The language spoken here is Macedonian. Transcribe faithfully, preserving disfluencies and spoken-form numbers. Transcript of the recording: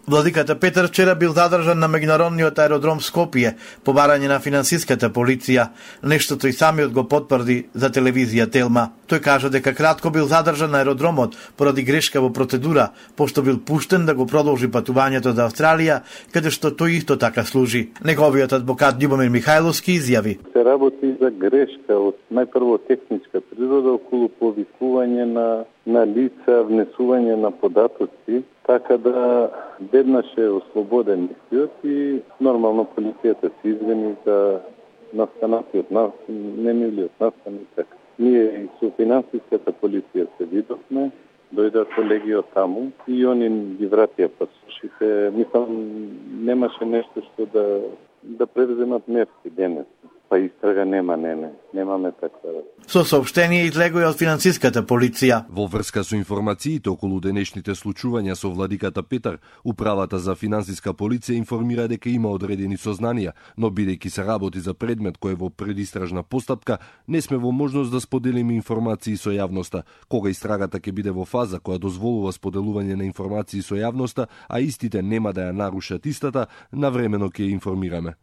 Владиката Петар вчера бил задржан на меѓународниот аеродром Скопје по барање на финансиската полиција, нештото и самиот го потврди за телевизија Телма. Тој кажа дека кратко бил задржан на аеродромот поради грешка во процедура, пошто бил пуштен да го продолжи патувањето за Австралија, каде што тој исто така служи. Неговиот адвокат Љубомир Михајловски изјави: се работи за грешка од најпрво техничка природа околу повикување на на лица, внесување на податоци, така да веднаш е ослободен истиот и нормално полицијата се извини за настанатиот нас, немилиот настан и така. Ние и со финансиската полиција се видовме, дојдат колеги од таму и они ги вратија пасошите. Мислам, немаше нешто што да да превземат мерки денес. Па истрага нема, не, не, немаме таква. Со соопштение излего и од финансиската полиција. Во врска со информациите околу денешните случувања со владиката Петар, управата за финансиска полиција информира дека има одредени сознанија, но бидејќи се работи за предмет кој е во предистражна постапка, не сме во можност да споделиме информации со јавноста. Кога истрагата ќе биде во фаза која дозволува споделување на информации со јавноста, а истите нема да ја нарушат истата, навремено ќе информираме.